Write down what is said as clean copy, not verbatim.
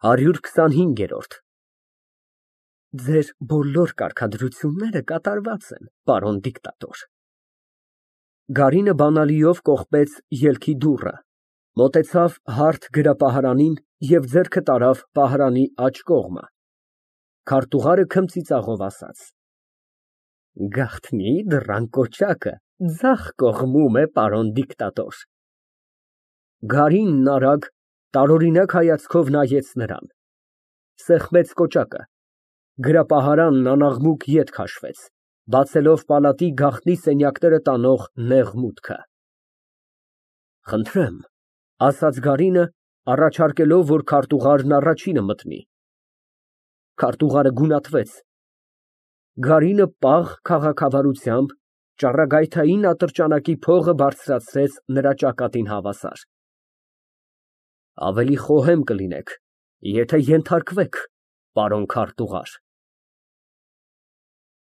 125։ Ձեր բոլոր կարգադրությունները կատարված են, պարոն դիկտատոր։ (Գարինը բանալիով կողպեց ելքի դուռը, մոտեցավ հարթ գրապահարանին և ձեռքը տարավ պահարանի աջ կողմը)։ Քարտուղարը քմծիծաղով ասաց. Գաղտնի դռան կոչակը ձախ կողմում է, պարոն դիկտատոր։ (Գարինն արագ, տարօրինակ հայացքով նայեց նրան, սեղմեց կոճակը, գրապահարանն անաղմուկ ետ քաշվեց, բացելով պալատի գաղտնի սենյակները տանող նեղ մուտքը)։ Խնդրեմ, ասաց Գարինը, առաջարկելով, որ քարտուղարն առաջինը մտնի։ Քարտուղարը գունատվեց։ Գարինը պաղ քաղաքավարությամբ ճառագայթային ատրճանակի փողը բարձրացրեց նրա ճակատին հավասար։ Ավելի խոհեմ կլինեք, եթե ենթարկվեք, պարոն քարտուղար։